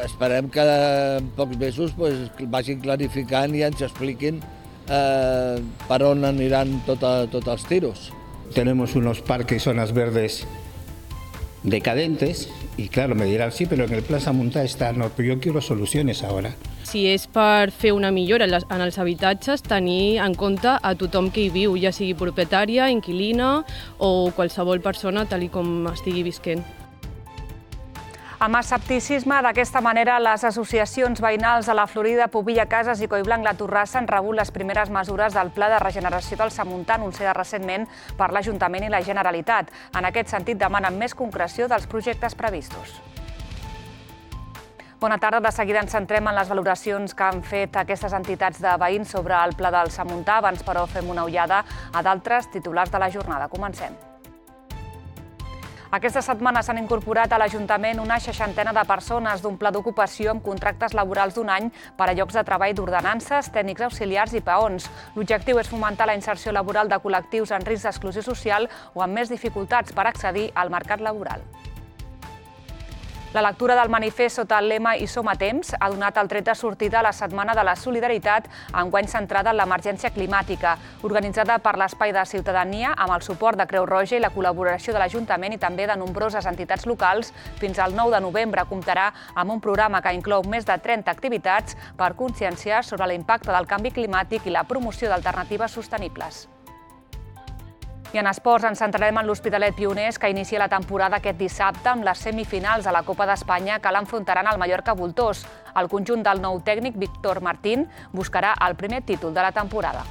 Esperem que en pocs mesos vagin clarificant i ens expliquin per on aniran tots els tiros. Tenemos unos parques y zonas verdes decadentes y claro, me dirán, sí, pero en el Plan Samuntà está, no, pero yo quiero soluciones ahora. Si és per fer una millora en els habitatges, tenir en compte a tothom que hi viu, ja sigui propietària, inquilina o qualsevol persona tal com estigui visquent. Amb escepticisme, d'aquesta manera, les associacions veïnals de la Florida, Pobilla Cases i Collblanc la Torrassa han rebut les primeres mesures del Pla de Regeneració del Samuntà anunciada recentment per l'Ajuntament i la Generalitat. En aquest sentit, demanen més concreció dels projectes previstos. Bona tarda. De seguida ens centrem en les valoracions que han fet aquestes entitats de veïns sobre el Pla del Samuntà. Abans, però, fem una ullada a d'altres titulars de la jornada. Comencem. Aquesta setmana s'han incorporat a l'Ajuntament una 60ena de persones d'un pla d'ocupació amb contractes laborals d'un any per a llocs de treball d'ordenances, tècnics auxiliars i peons. L'objectiu és fomentar la inserció laboral de col·lectius en risc d'exclusió social o amb més dificultats per accedir al mercat laboral. La lectura del manifest sota el lema I som a temps ha donat el tret de sortida a la Setmana de la Solidaritat, enguany centrada en l'emergència climàtica, organitzada per l'Espai de Ciutadania amb el suport de Creu Roja i la col·laboració de l'Ajuntament i també de nombroses entitats locals. Fins al 9 de novembre comptarà amb un programa que inclou més de 30 activitats per conscienciar sobre l'impacte del canvi climàtic i la promoció d'alternatives sostenibles. I en esports ens centrarem en l'Hospitalet Pioners, que inicia la temporada aquest dissabte amb les semifinals a la Copa d'Espanya que l'enfrontaran al Mallorca Voltors. El conjunt del nou tècnic, Víctor Martín, buscarà el primer títol de la temporada.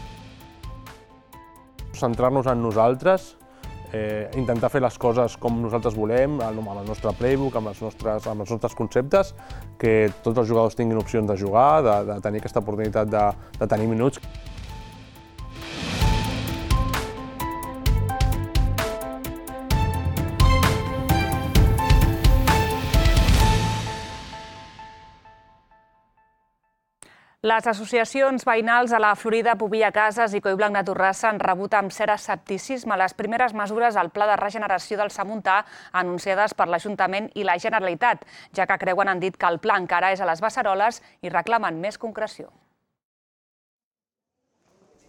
Centrar-nos en nosaltres, intentar fer les coses com nosaltres volem, amb el nostre playbook, amb els nostres conceptes, que tots els jugadors tinguin opcions de jugar, de tenir aquesta oportunitat de tenir minuts. Les associacions veïnals a la Florida, Pobilla Cases i Collblanc la Torrassa han rebut amb cert escepticisme les primeres mesures al Pla de Regeneració del Samuntà anunciades per l'Ajuntament i la Generalitat, ja que creuen han dit que el pla encara és a les beceroles i reclamen més concreció.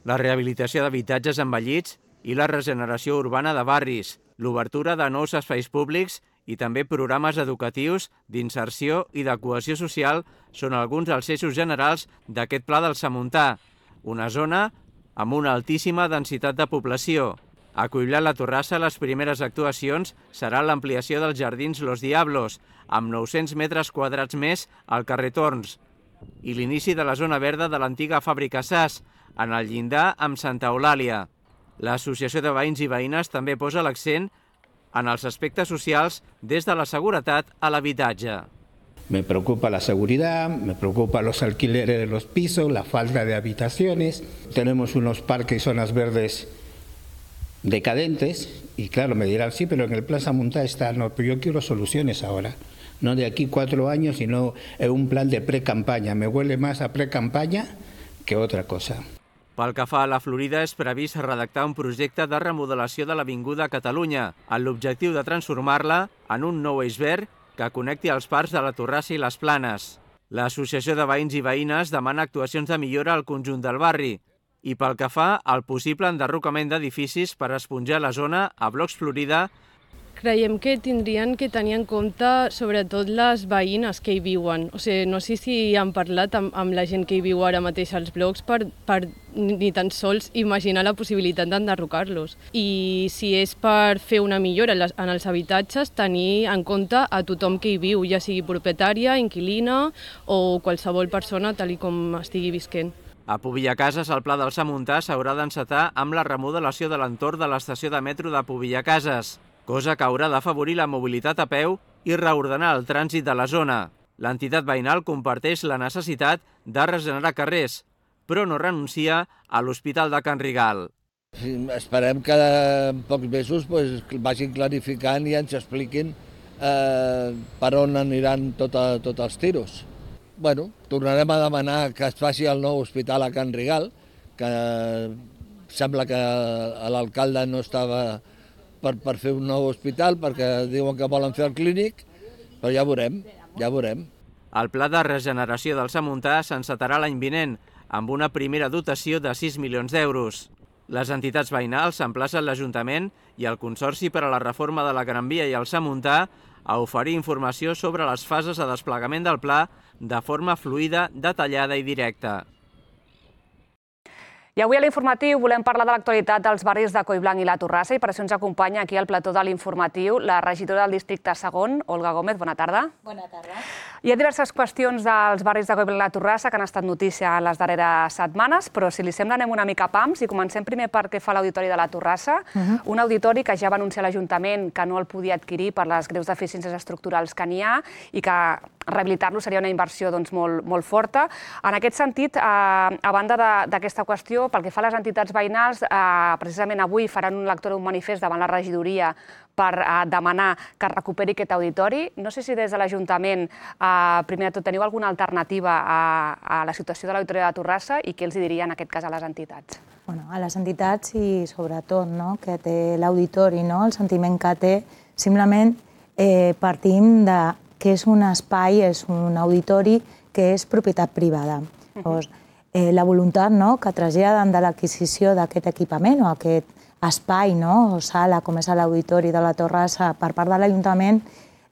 La rehabilitació d'habitatges envellits i la regeneració urbana de barris, l'obertura de nous espais públics i també programes educatius, d'inserció i de cohesió social són alguns dels eixos generals d'aquest Pla del Samuntà, una zona amb una altíssima densitat de població. A Collblanc la Torrassa les primeres actuacions seran l'ampliació dels jardins Los Diablos, amb 900 metres quadrats més al carrer Torns, i l'inici de la zona verda de l'antiga fàbrica SAS, en el llindar amb Santa Eulàlia. L'Associació de Veïns i Veïnes també posa l'accent en els aspectes socials des de la seguretat a l'habitatge. Me preocupa la seguridad, me preocupa los alquileres de los pisos, la falta de habitaciones. Tenemos unos parques y zonas verdes decadentes y claro, me dirán, sí, pero en el Plan Samuntà está, no, pero yo quiero soluciones ahora. No de aquí 4 años, sino en un plan de pre-campaña. Me huele más a pre-campaña que otra cosa. Pel que fa a la Florida, és previst redactar un projecte de remodelació de l'Avinguda Catalunya, amb l'objectiu de transformar-la en un nou eix verd que connecti els parcs de la Torrassa i les Planes. L'Associació de Veïns i Veïnes demana actuacions de millora al conjunt del barri i pel que fa al possible enderrocament d'edificis per esponjar la zona a Blocs Florida. Creiem que tindrien que tenir en compte sobretot les veïnes que hi viuen. O sigui, no sé si han parlat amb la gent que hi viu ara mateix als blocs per ni tan sols imaginar la possibilitat d'enderrocar-los. I si és per fer una millora en els habitatges, tenir en compte a tothom que hi viu, ja sigui propietària, inquilina o qualsevol persona tal com estigui visquent. A Pobilla Cases, el Pla del Samuntà s'haurà d'encetar amb la remodelació de l'entorn de l'estació de metro de Pobilla Cases, cosa que haurà d'afavorir la mobilitat a peu i reordenar el trànsit de la zona. L'entitat veïnal comparteix la necessitat de regenerar carrers, però no renuncia a l'Hospital de Can Rigal. Esperem que en pocs mesos vagin clarificant i ens expliquin per on aniran tots els tiros. Tornarem a demanar que es faci el nou hospital a Can Rigal, que sembla que l'alcalde no estava per fer un nou hospital, perquè diuen que volen fer el clínic, però ja veurem. El pla de regeneració del Samuntà s'encetarà l'any vinent, amb una primera dotació de 6 milions d'euros. Les entitats veïnals s'emplacen l'Ajuntament i el Consorci per a la reforma de la Gran Via i el Samuntà a oferir informació sobre les fases de desplegament del pla de forma fluida, detallada i directa. I avui a l'informatiu volem parlar de l'actualitat dels barris de Collblanc i la Torrassa i per això ens acompanya aquí al plató de l'informatiu la regidora del districte segon, Olga Gómez. Bona tarda. Bona tarda. Hi ha diverses qüestions dels barris de Collblanc i la Torrassa que han estat notícia en les darreres setmanes, però si li sembla anem una mica a pams i comencem primer per què fa l'Auditori de la Torrassa, un auditori que ja va anunciar l'Ajuntament que no el podia adquirir per les greus deficiències estructurals que n'hi ha i que rehabilitar-lo seria una inversió molt forta. En aquest sentit, a banda d'aquesta qüestió, pel que fa a les entitats veïnals, precisament avui faran un lectura d'un manifest davant la regidoria per demanar que es recuperi aquest auditori. No sé si des de l'Ajuntament, primer de tot, teniu alguna alternativa a la situació de l'Auditori de la Torrassa i què els diria en aquest cas a les entitats? A les entitats i sobretot que té l'auditori, el sentiment que té, simplement partim de que és un espai, és un auditori que és propietat privada. La voluntat que traslladen de l'adquisició d'aquest equipament o aquest espai o sala com és l'Auditori de la Torrassa per part de l'Ajuntament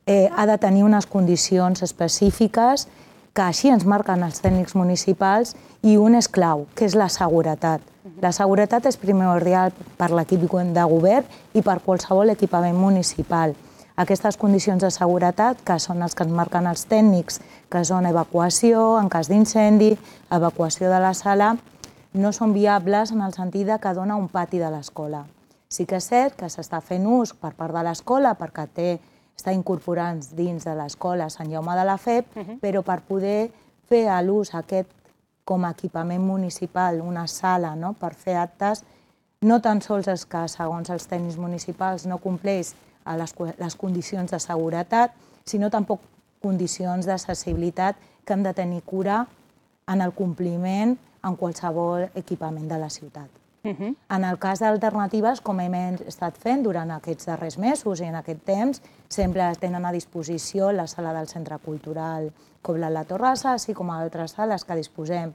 ha de tenir unes condicions específiques que així ens marquen els tècnics municipals i un és clau, que és la seguretat. La seguretat és primordial per l'equip de govern i per qualsevol equipament municipal. Aquestes condicions de seguretat, que són els que ens marquen els tècnics, que són evacuació en cas d'incendi, evacuació de la sala, no són viables en el sentit que dona un pati de l'escola. Sí que és cert que s'està fent ús per part de l'escola perquè està incorporant dins de l'escola Sant Jaume de la Feb, però per poder fer l'ús aquest com a equipament municipal, una sala per fer actes, no tan sols és que segons els tècnics municipals no compleix les condicions de seguretat, sinó tampoc condicions d'accessibilitat que hem de tenir cura en el compliment en qualsevol equipament de la ciutat. En el cas d'alternatives, com hem estat fent durant aquests darrers mesos i en aquest temps, sempre tenen a disposició la sala del Centre Cultural Collblanc i la Torrassa, així com altres sales que disposem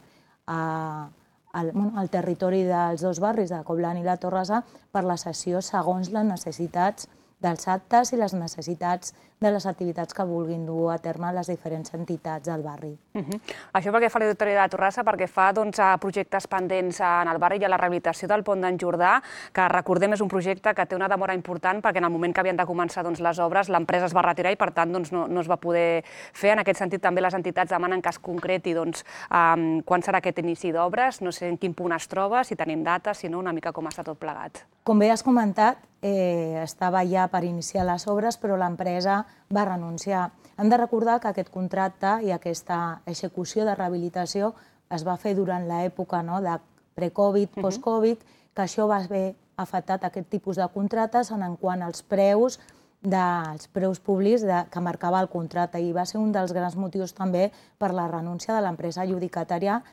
al territori dels dos barris de Collblanc i la Torrassa per la sessió segons les necessitats dels actes i les necessitats de les activitats que vulguin dur a terme les diferents entitats del barri. Això perquè fa l'Auditori de la Torrassa, perquè fa a projectes pendents en el barri i a la rehabilitació del pont d'en Jordà, que recordem és un projecte que té una demora important perquè en el moment que havien de començar les obres l'empresa es va retirar i per tant no es va poder fer. En aquest sentit també les entitats demanen que es concreti quan serà aquest inici d'obres, no sé en quin punt es troba, si tenim dates, si no, una mica com està tot plegat. Com bé has comentat, estava ja per iniciar les obres, però l'empresa va renunciar. Hem de recordar que aquest contracte i aquesta execució de rehabilitació es va fer durant l'època de pre-Covid, post-Covid, que això va haver afectat aquest tipus de contractes en quant als preus públics que marcava el contracte i va ser un dels grans motius també per la renúncia de l'empresa adjudicatària,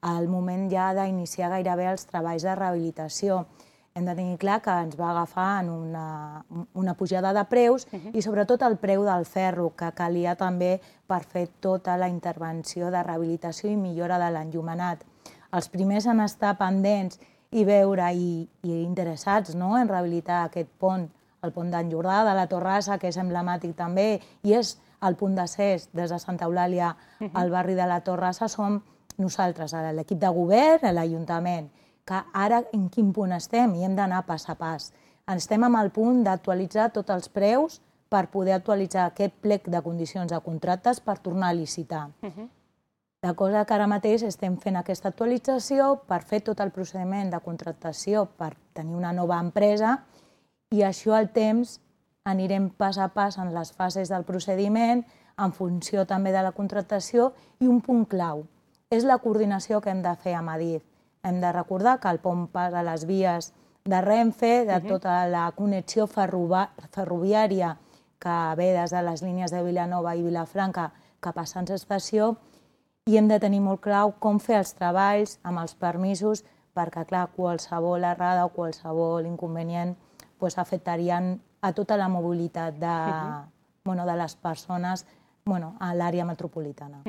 al moment ja d'iniciar gairebé els treballs de rehabilitació. Hem de tenir clar que ens va agafar en una pujada de preus i sobretot el preu del ferro, que calia també per fer tota la intervenció de rehabilitació i millora de l'enllumenat. Els primers en estar pendents i veure i interessats en rehabilitar aquest pont, el pont d'en Jordà, de la Torrassa, que és emblemàtic també, i és el punt d'accés des de Santa Eulàlia al barri de la Torrassa, som nosaltres, l'equip de govern, l'Ajuntament, que ara en quin punt estem i hem d'anar pas a pas. Estem amb el punt d'actualitzar tots els preus per poder actualitzar aquest plec de condicions de contractes per tornar a licitar. La cosa que ara mateix estem fent aquesta actualització per fer tot el procediment de contractació per tenir una nova empresa i això al temps anirem pas a pas en les fases del procediment en funció també de la contractació i un punt clau és la coordinació que hem de fer amb Adif. Hem de recordar que el pont passa a les vies de Renfe, de tota la connexió ferroviària que ve des de les línies de Vilanova i Vilafranca cap a Sants Estació i hem de tenir molt clar com fer els treballs amb els permisos perquè, clar, qualsevol errada o qualsevol inconvenient afectarien a tota la mobilitat de les persones a l'àrea metropolitana.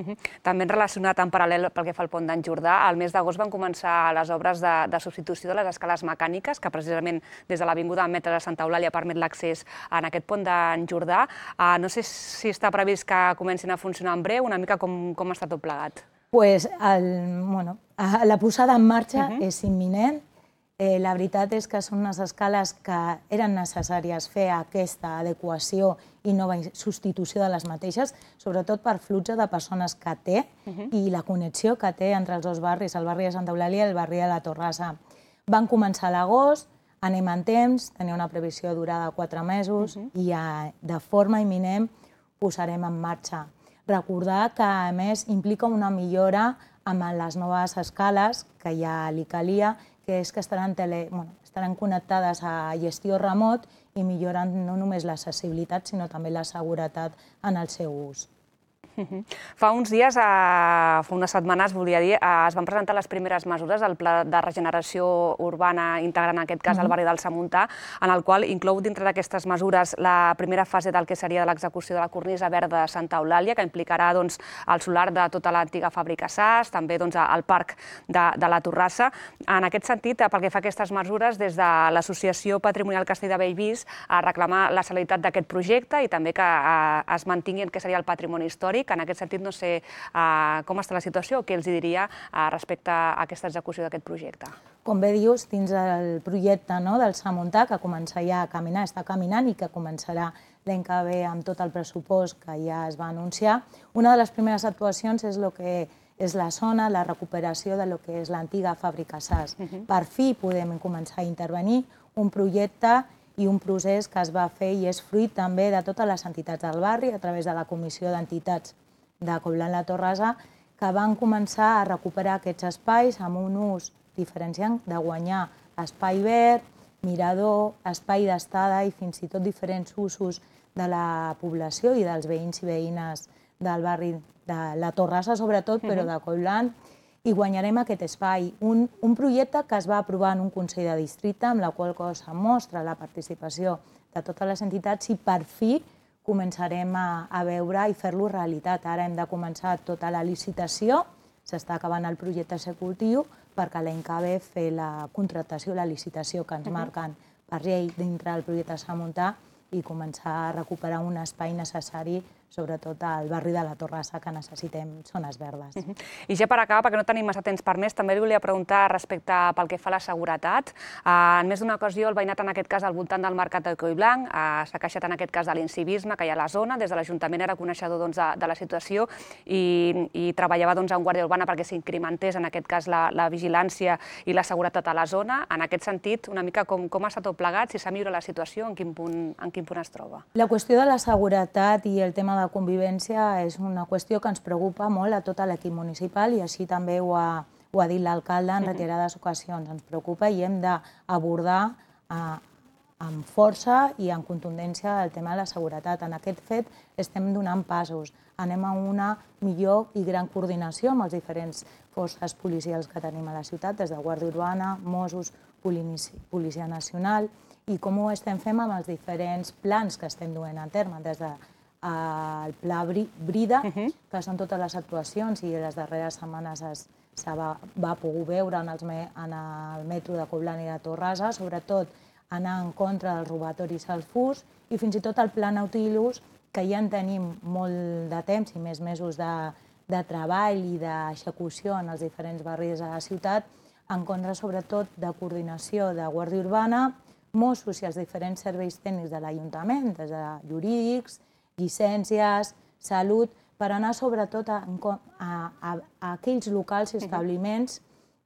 També relacionat en paral·lel pel que fa al pont d'en Jordà, al mes d'agost van començar les obres de substitució de les escales mecàniques, que precisament des de l'Avinguda Metre de Santa Eulàlia permet l'accés en aquest pont d'en Jordà. No sé si està previst que comencin a funcionar en breu, una mica com està tot plegat. La posada en marxa és imminent. La veritat és que són unes escales que eren necessàries fer aquesta adequació i nova substitució de les mateixes, sobretot per flux de persones que té i la connexió que té entre els dos barris, el barri de Santa Eulàlia i el barri de la Torrassa. Van començar a l'agost, anem en temps, tenia una previsió durada de 4 mesos i de forma imminent posarem en marxa. Recordar que, a més, implica una millora amb les noves escales que ja li calia, que és que estaran connectades a gestió remot i milloren no només l'accessibilitat, sinó també la seguretat en el seu ús. Fa uns dies, fa unes setmanes, volia dir, es van presentar les primeres mesures del Pla de Regeneració Urbana integrant, en aquest cas, el barri del Samuntà, en el qual inclou dintre d'aquestes mesures la primera fase del que seria l'execució de la cornisa verda de Santa Eulàlia, que implicarà el solar de tota l'antiga fàbrica SAS, també el parc de la Torrassa. En aquest sentit, pel que fa a aquestes mesures, des de l'Associació Patrimonial Castell de Bellvís reclamar la celeritat d'aquest projecte i també que es mantingui el que seria el patrimoni històric. En aquest sentit, no sé com està la situació o què els diria respecte a aquesta execució d'aquest projecte. Com bé dius, dins el projecte del Samuntà, que comença ja a caminar, està caminant i que començarà l'any que ve amb tot el pressupost que ja es va anunciar, una de les primeres actuacions és el que és la zona, la recuperació del que és l'antiga fàbrica SAS. Per fi podem començar a intervenir un projecte i un procés que es va fer i és fruit també de totes les entitats del barri a través de la Comissió d'Entitats de Coiblanc-La Torrassa, que van començar a recuperar aquests espais amb un ús diferenciant de guanyar espai verd, mirador, espai d'estada i fins i tot diferents usos de la població i dels veïns i veïnes del barri de la Torrassa, sobretot, però de Coiblanc, i guanyarem aquest espai. Un projecte que es va aprovar en un Consell de Districte, amb la qual cosa mostra la participació de totes les entitats i per fi començarem a veure i fer-lo realitat. Ara hem de començar tota la licitació, s'està acabant el projecte executiu, perquè l'any que ve fer la contractació, la licitació que ens marquen per llei dintre del projecte Samuntà i començar a recuperar un espai necessari, sobretot al barri de la Torrassa, que necessitem zones verdes. I ja per acabar, perquè no tenim massa temps per més, també li volia preguntar respecte pel que fa a la seguretat. En més d'una ocasió, el veïnat, en aquest cas, al voltant del mercat de Coiblanc, s'ha queixat en aquest cas de l'incivisme que hi ha a la zona. Des de l'Ajuntament era coneixedor de la situació i treballava en guàrdia urbana perquè s'incrementés, en aquest cas, la vigilància i la seguretat a la zona. En aquest sentit, una mica com està tot plegat, si s'ha millorat la situació, en quin punt es troba? La qüestió de la seguretat i el tema de convivència és una qüestió que ens preocupa molt a tot l'equip municipal i així també ho ha dit l'alcalde en reiterades ocasions. Ens preocupa i hem d'abordar amb força i amb contundència el tema de la seguretat. En aquest fet estem donant passos. Anem a una millor i gran coordinació amb les diferents forces policials que tenim a la ciutat, des de Guàrdia Urbana, Mossos, Policia Nacional, i com ho estem fent amb els diferents plans que estem duent a terme, des del Pla Brida, que són totes les actuacions i les darreres setmanes va poder veure en el metro de Coiblanc i de Torrassa, sobretot anar en contra dels robatoris al fus i fins i tot el Pla Nautilus, que ja en tenim molt de temps i més mesos de treball i d'execució en els diferents barris de la ciutat, en contra sobretot de coordinació de Guàrdia Urbana, Mossos i els diferents serveis tècnics de l'Ajuntament, des de jurídics, llicències, salut, per anar sobretot a aquells locals i establiments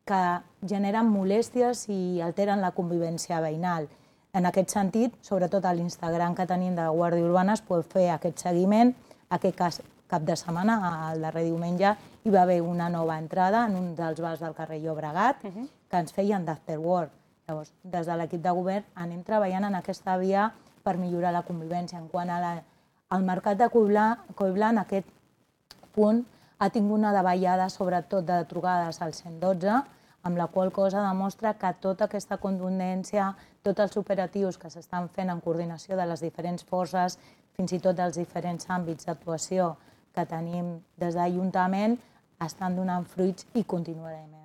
que generen molèsties i alteren la convivència veïnal. En aquest sentit, sobretot a l'Instagram que tenim de Guàrdia Urbana, es pot fer aquest seguiment. Aquest cap de setmana, el darrer diumenge, hi va haver una nova entrada en un dels bars del carrer Llobregat que ens feien d'afterwork. Llavors, des de l'equip de govern anem treballant en aquesta via per millorar la convivència. En quant al mercat de Coiblanc, aquest punt ha tingut una davallada, sobretot de trucades al 112, amb la qual cosa demostra que tota aquesta contundència, tots els operatius que s'estan fent en coordinació de les diferents forces, fins i tot dels diferents àmbits d'actuació que tenim des de l'Ajuntament estan donant fruits i continuarem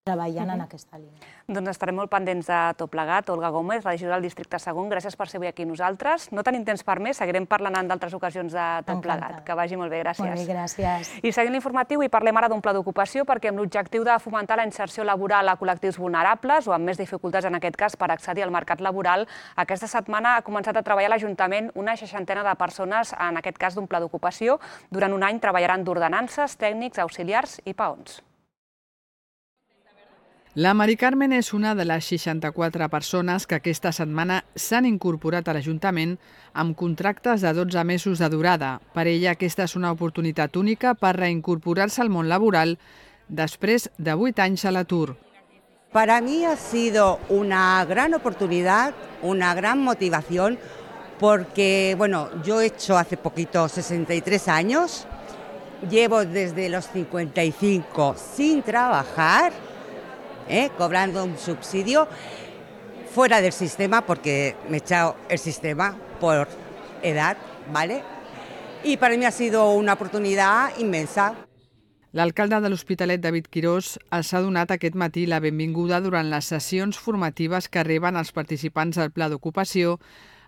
treballant en aquesta línia. Doncs estarem molt pendents de tot plegat. Olga Gómez, regidora del districte segon, gràcies per ser avui aquí nosaltres. No tenim temps per més, seguirem parlant en d'altres ocasions de tot plegat. Que vagi molt bé, gràcies. Molt bé, gràcies. I seguint l'informatiu, i parlem ara d'un pla d'ocupació perquè amb l'objectiu de fomentar la inserció laboral a col·lectius vulnerables o amb més dificultats en aquest cas per accedir al mercat laboral, aquesta setmana ha començat a treballar a l'Ajuntament una 60 de persones, en aquest cas d'un pla d'ocupació. Durant un any treballaran d'ordenances, tècnics, auxiliars i peons. La Mari Carmen és una de les 64 persones que aquesta setmana s'han incorporat a l'Ajuntament amb contractes de 12 mesos de durada. Per ella, aquesta és una oportunitat única per reincorporar-se al món laboral després de 8 anys a l'atur. Para mí ha sido una gran oportunidad, una gran motivación, porque yo he hecho hace poquito 63 años, llevo desde los 55 sin trabajar, cobrando un subsidio fuera del sistema, porque me he echado el sistema por edad, ¿vale? Y para mí ha sido una oportunidad inmensa. L'alcalde de l'Hospitalet, David Quirós, els ha donat aquest matí la benvinguda durant les sessions formatives que reben els participants del Pla d'Ocupació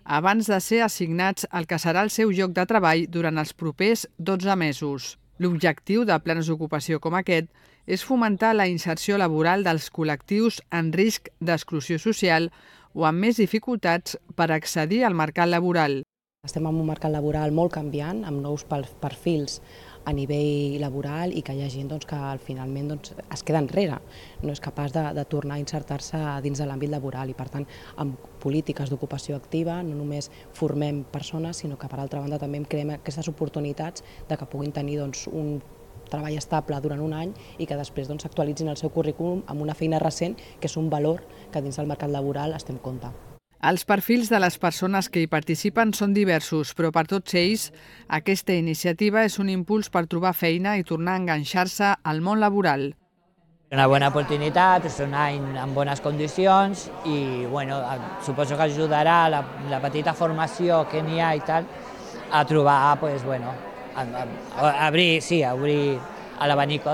abans de ser assignats al que serà el seu lloc de treball durant els propers 12 mesos. L'objectiu de plans d'ocupació com aquest és fomentar la inserció laboral dels col·lectius en risc d'exclusió social o amb més dificultats per accedir al mercat laboral. Estem en un mercat laboral molt canviant, amb nous perfils a nivell laboral i que hi ha gent que finalment es queda enrere, no és capaç de tornar a insertar-se dins de l'àmbit laboral i per tant amb polítiques d'ocupació activa no només formem persones sinó que per altra banda també creem aquestes oportunitats de que puguin tenir un treball estable durant un any i que després actualitzin el seu currículum amb una feina recent que és un valor que dins del mercat laboral es té en compte. Els perfils de les persones que hi participen són diversos, però per tots ells aquesta iniciativa és un impuls per trobar feina i tornar a enganxar-se al món laboral. Una bona oportunitat, és un any en bones condicions i suposo que ajudarà la petita formació que n'hi ha i tal a trobar, obrir l'abanico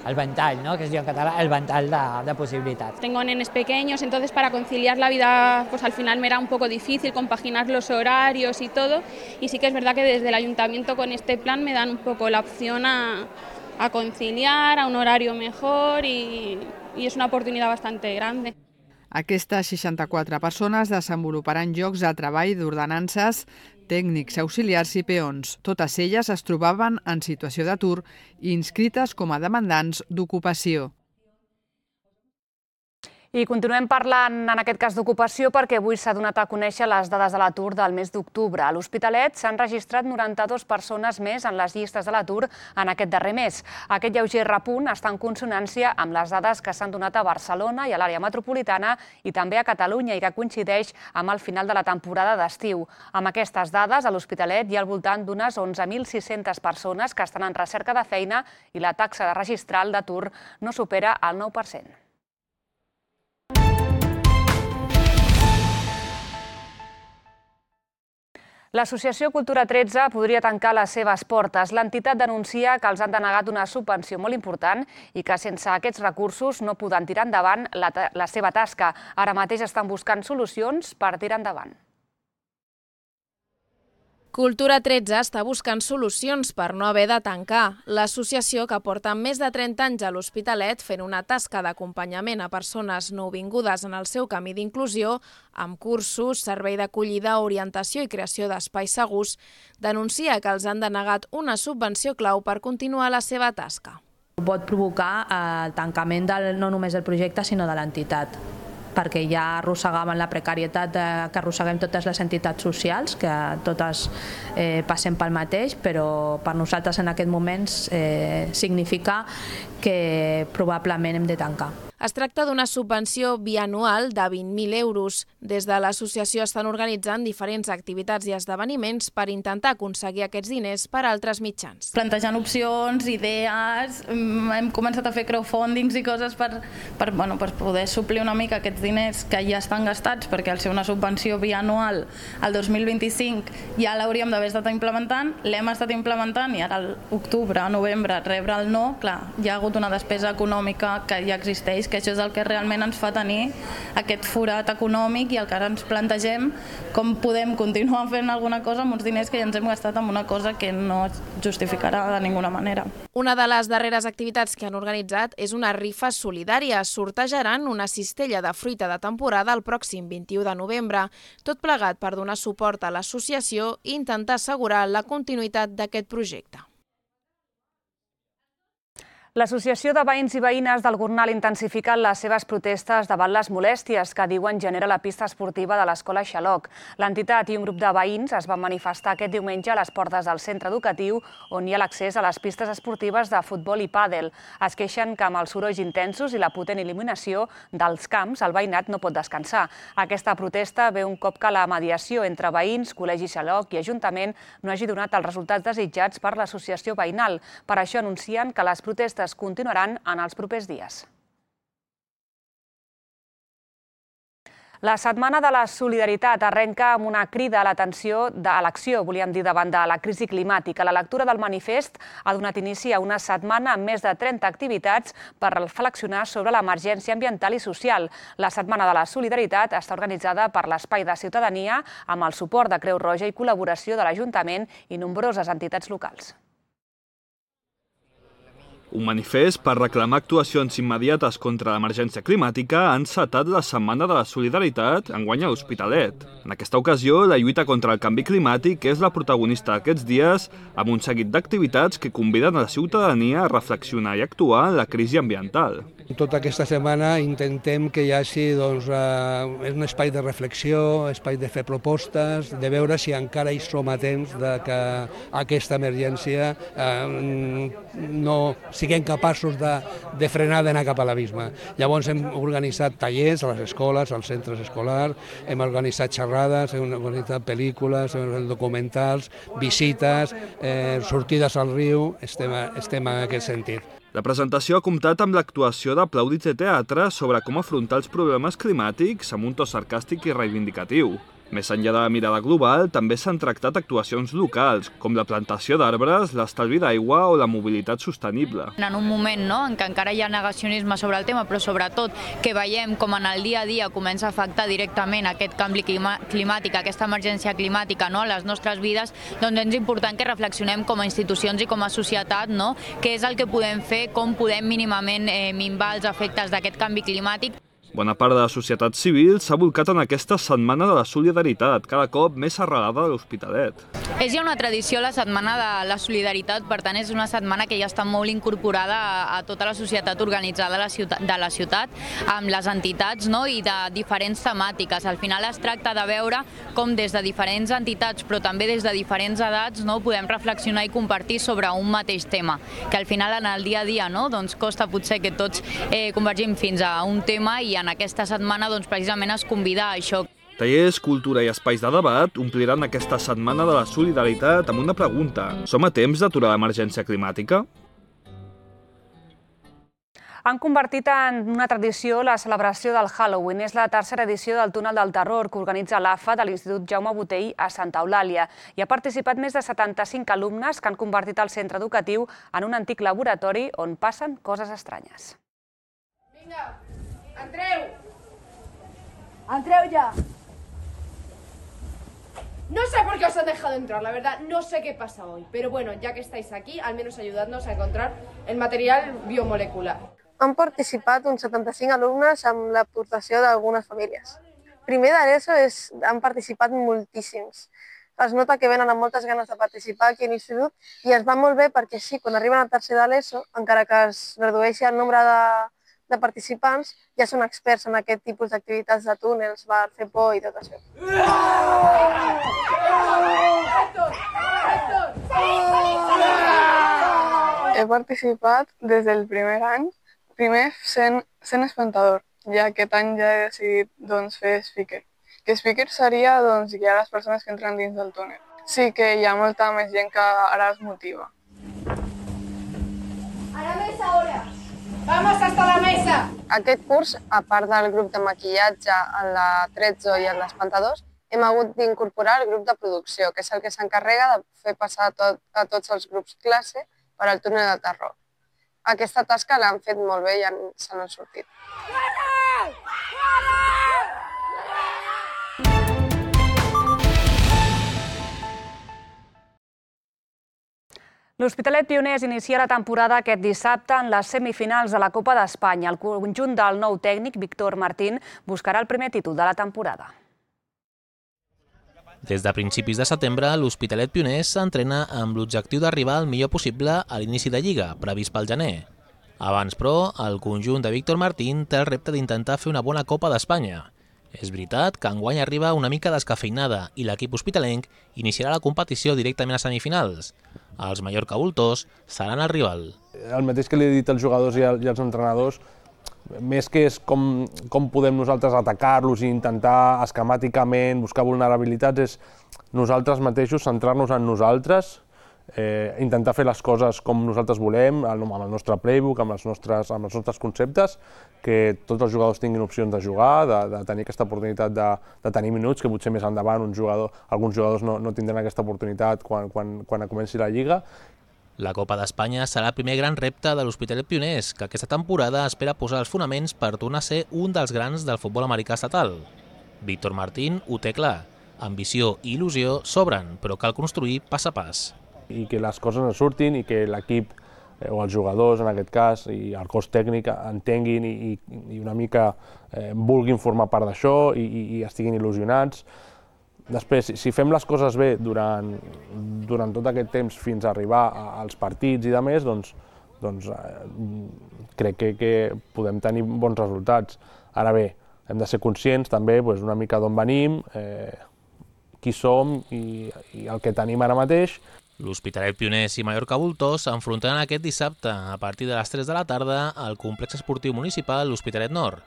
al ventall, ¿no? Que es diu en català, el ventall de posibilitats. Tengo nenes pequeños, entonces para conciliar la vida al final me era un poco difícil compaginar los horarios y todo, y sí que es verdad que desde el ayuntamiento con este plan me dan un poco la opción a conciliar, a un horario mejor y es una oportunidad bastante grande. Aquestes 64 persones desenvoluparan llocs de treball d'ordenances, tècnics, auxiliars i peons. Totes elles es trobaven en situació d'atur i inscrites com a demandants d'ocupació. I continuem parlant, en aquest cas, d'ocupació perquè avui s'ha donat a conèixer les dades de l'atur del mes d'octubre. A l'Hospitalet s'han registrat 92 persones més en les llistes de l'atur en aquest darrer mes. Aquest lleuger repunt està en consonància amb les dades que s'han donat a Barcelona i a l'àrea metropolitana i també a Catalunya i que coincideix amb el final de la temporada d'estiu. Amb aquestes dades, a l'Hospitalet hi ha al voltant d'unes 11.600 persones que estan en recerca de feina i la taxa registral d'atur no supera el 9%. L'Associació Cultura 13 podria tancar les seves portes. L'entitat denuncia que els han denegat una subvenció molt important i que sense aquests recursos no poden tirar endavant la seva tasca. Ara mateix estan buscant solucions per tirar endavant. Cultura 13 està buscant solucions per no haver de tancar. L'associació, que porta més de 30 anys a l'Hospitalet fent una tasca d'acompanyament a persones nouvingudes en el seu camí d'inclusió, amb cursos, servei d'acollida, orientació i creació d'espais segurs, denuncia que els han denegat una subvenció clau per continuar la seva tasca. Pot provocar el tancament no només del projecte, sinó de l'entitat, perquè ja arrossegàvem la precarietat que arrosseguem totes les entitats socials, que totes passem pel mateix, però per nosaltres en aquest moment significa que probablement hem de tancar. Es tracta d'una subvenció bianual de 20.000 euros. Des de l'associació estan organitzant diferents activitats i esdeveniments per intentar aconseguir aquests diners per altres mitjans. Plantejant opcions, idees, hem començat a fer crowdfundings i coses per poder suplir una mica aquests diners que ja estan gastats, perquè al ser una subvenció bianual al 2025 ja l'hauríem d'haver estat implementant, l'hem estat implementant i ara a l'octubre, novembre, rebre el no, clar, hi ha hagut una despesa econòmica que ja existeix, que això és el que realment ens fa tenir aquest forat econòmic i el que ara ens plantegem com podem continuar fent alguna cosa amb uns diners que ja ens hem gastat en una cosa que no es justificarà de ninguna manera. Una de les darreres activitats que han organitzat és una rifa solidària. Sortejaran una cistella de fruita de temporada el pròxim 21 de novembre, tot plegat per donar suport a l'associació i intentar assegurar la continuïtat d'aquest projecte. L'Associació de Veïns i Veïnes del Gornal ha intensificat les seves protestes davant les molèsties que diuen genera la pista esportiva de l'Escola Xaloc. L'entitat i un grup de veïns es van manifestar aquest diumenge a les portes del centre educatiu on hi ha l'accés a les pistes esportives de futbol i pàdel. Es queixen que amb els sorolls intensos i la potent il·luminació dels camps el veïnat no pot descansar. Aquesta protesta ve un cop que la mediació entre veïns, Col·legi Xaloc i Ajuntament no hagi donat els resultats desitjats per l'associació veïnal. Per això anuncien que les protestes continuaran en els propers dies. La Setmana de la Solidaritat arrenca amb una crida a l'atenció a l'acció, volíem dir, davant de la crisi climàtica. La lectura del manifest ha donat inici a una setmana amb més de 30 activitats per reflexionar sobre l'emergència ambiental i social. La Setmana de la Solidaritat està organitzada per l'Espai de Ciutadania amb el suport de Creu Roja i col·laboració de l'Ajuntament i nombroses entitats locals. Un manifest per reclamar actuacions immediates contra l'emergència climàtica ha encetat la Setmana de la Solidaritat enguany a l'Hospitalet. En aquesta ocasió, la lluita contra el canvi climàtic és la protagonista d'aquests dies amb un seguit d'activitats que conviden a la ciutadania a reflexionar i actuar en la crisi ambiental. Tota aquesta setmana intentem que hi hagi un espai de reflexió, espai de fer propostes, de veure si encara hi som a temps que aquesta emergència no siguem capaços de frenar d'anar cap a l'abisme. Llavors hem organitzat tallers a les escoles, als centres escolars, hem organitzat xerrades, hem organitzat pel·lícules, hem organitzat documentals, visites, sortides al riu, estem en aquest sentit. La presentació ha comptat amb l'actuació d'aplaudits de teatre sobre com afrontar els problemes climàtics amb un to sarcàstic i reivindicatiu. Més enllà de la mirada global, també s'han tractat actuacions locals, com la plantació d'arbres, l'estalvi d'aigua o la mobilitat sostenible. En un moment en què encara hi ha negacionisme sobre el tema, però sobretot que veiem com en el dia a dia comença a afectar directament aquest canvi climàtic, aquesta emergència climàtica a les nostres vides, doncs és important que reflexionem com a institucions i com a societat què és el que podem fer, com podem mínimament minvar els efectes d'aquest canvi climàtic. Bona part de la societat civil s'ha volcat en aquesta Setmana de la Solidaritat, cada cop més arrelada a l'Hospitalet. És ja una tradició la Setmana de la Solidaritat, per tant és una setmana que ja està molt incorporada a tota la societat organitzada de la ciutat, amb les entitats i de diferents temàtiques. Al final es tracta de veure com des de diferents entitats, però també des de diferents edats, podem reflexionar i compartir sobre un mateix tema, que al final en el dia a dia costa potser que tots convergim fins a un tema i en aquesta setmana precisament es convida a això. Tallers, cultura i espais de debat ompliran aquesta Setmana de la Solidaritat amb una pregunta. Som a temps d'aturar l'emergència climàtica? Han convertit en una tradició la celebració del Halloween. És la tercera edició del Túnel del Terror que organitza l'AFA de l'Institut Jaume Botey a Santa Eulàlia. Hi ha participat més de 75 alumnes que han convertit el centre educatiu en un antic laboratori on passen coses estranyes. Vinga, entreu! Entreu ya! No sé por qué os han dejado entrar, la verdad, no sé qué pasa hoy. Pero bueno, ya que estáis aquí, al menos ayudadnos a encontrar el material biomolecular. Han participat uns 75 alumnes amb l'aportació d'algunes famílies. Primer d'ESO han participat moltíssims. Es nota que venen amb moltes ganes de participar aquí a l'institut i ens va molt bé perquè sí, quan arriben a tercer de l'ESO, encara que es redueixi el nombre de participants, ja són experts en aquest tipus d'activitats de túnels, bar, fer por i tot això. He participat des del primer any Primer, sent espantador, ja aquest any ja he decidit fer speaker. Que speaker seria guiar les persones que entren dins del túnel. Sí que hi ha molta més gent que ara es motiva. A la mesa ahora. Vamos hasta la mesa. Aquest curs, a part del grup de maquillatge, en la Trezzo i en l'Espantadors, hem hagut d'incorporar el grup de producció, que és el que s'encarrega de fer passar a tots els grups classe per al túnel del terror. Aquesta tasca l'han fet molt bé i se n'han sortit. L'Hospitalet Pioners inicia la temporada aquest dissabte en les semifinals de la Copa d'Espanya. El conjunt del nou tècnic, Víctor Martín, buscarà el primer títol de la temporada. Des de principis de setembre, l'Hospitalet Pioners s'entrena amb l'objectiu d'arribar al millor possible a l'inici de Lliga, previst pel gener. Abans, però, el conjunt de Víctor Martín té el repte d'intentar fer una bona Copa d'Espanya. És veritat que enguany arriba una mica descafeinada i l'equip hospitalenc iniciarà la competició directament a semifinals. Els Mallorca Voltors seran el rival. El mateix que li he dit als jugadors i als entrenadors, més que és com podem nosaltres atacar-los i intentar esquemàticament buscar vulnerabilitats, és nosaltres mateixos centrar-nos en nosaltres, intentar fer les coses com nosaltres volem, amb el nostre playbook, amb els nostres conceptes, que tots els jugadors tinguin opcions de jugar, de tenir aquesta oportunitat de tenir minuts, que potser més endavant alguns jugadors no tindran aquesta oportunitat quan comenci la Lliga. La Copa d'Espanya serà el primer gran repte de l'Hospitalet Pioners, que aquesta temporada espera posar els fonaments per tornar a ser un dels grans del futbol americà estatal. Víctor Martín ho té clar. Ambició i il·lusió sobren, però cal construir pas a pas. I que les coses ens surtin i que l'equip, o els jugadors en aquest cas, i el cos tècnic entenguin i una mica vulguin formar part d'això i estiguin il·lusionats. Després, si fem les coses bé durant tot aquest temps fins a arribar als partits i de més, doncs crec que podem tenir bons resultats. Ara bé, hem de ser conscients també una mica d'on venim, qui som i el que tenim ara mateix. L'Hospitalet Pioners i Mallorca Voltors s'enfrontaran aquest dissabte a partir de les 3 de la tarda al complex esportiu municipal l'Hospitalet Nord.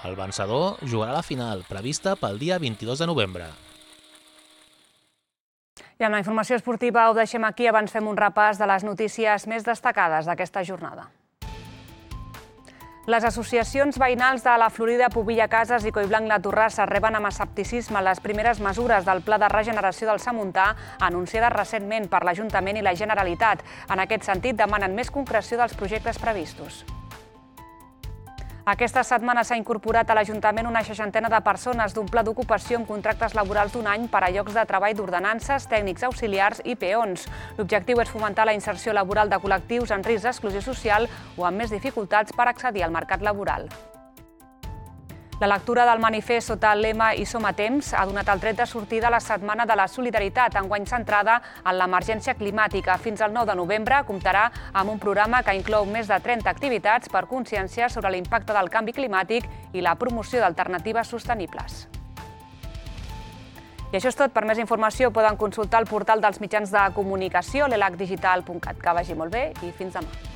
El vencedor jugarà la final, prevista pel dia 22 de novembre. I amb la informació esportiva ho deixem aquí. Abans fem un repàs de les notícies més destacades d'aquesta jornada. Les associacions veïnals de la Florida, Pobilla Cases i Collblanc La Torrassa reben amb escepticisme les primeres mesures del Pla de Regeneració del Samuntà anunciades recentment per l'Ajuntament i la Generalitat. En aquest sentit, demanen més concreció dels projectes previstos. Aquesta setmana s'ha incorporat a l'Ajuntament una 60ena de persones d'un pla d'ocupació amb contractes laborals d'un any per a llocs de treball d'ordenances, tècnics auxiliars i peons. L'objectiu és fomentar la inserció laboral de col·lectius en risc d'exclusió social o amb més dificultats per accedir al mercat laboral. La lectura del manifest sota el lema I som a temps ha donat el tret de sortida a la Setmana de la Solidaritat, enguany centrada en l'emergència climàtica. Fins al 9 de novembre comptarà amb un programa que inclou més de 30 activitats per conscienciar sobre l'impacte del canvi climàtic i la promoció d'alternatives sostenibles. I això és tot. Per més informació poden consultar el portal dels mitjans de comunicació, l'elacdigital.cat. Que vagi molt bé i fins demà.